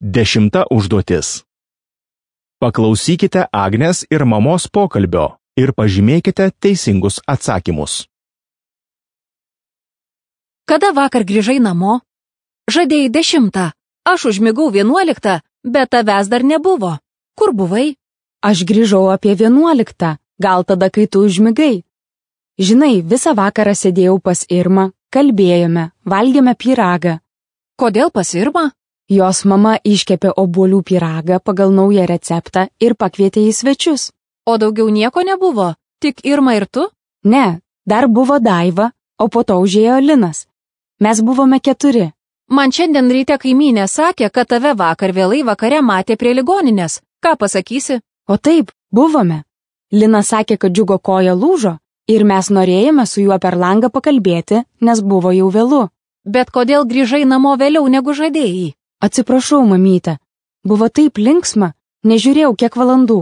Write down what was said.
10 užduotis. Paklausykite Agnės ir mamos pokalbio ir pažymėkite teisingus atsakymus. Kada vakar grįžai namo? Žadėjai 10, aš užmigau 11, bet tavęs dar nebuvo. Kur buvai? Aš grįžau apie 11, gal tada, kai tu užmigai. Žinai, visą vakarą sėdėjau pas Irmą, kalbėjome, valgėme pyragą. Kodėl pas Irmą? Jos mama iškepė obuolių pyragą pagal naują receptą ir pakvietė į svečius. O daugiau nieko nebuvo? Tik Irma ir tu? Ne, dar buvo Daiva, o po to užėjo Linas. Mes buvome 4. Man šiandien ryte kaimynė sakė, kad tave vakar vėlai vakare matė prie ligoninės. Ką pasakysi? O taip, buvome. Linas sakė, kad Džiugo koja lūžo ir mes norėjome su juo per langą pakalbėti, nes buvo jau vėlu. Bet kodėl grįžai namo vėliau negu žadėjai? Atsiprašau, mamyte. Buvo taip linksma, nežiūrėjau kiek valandų.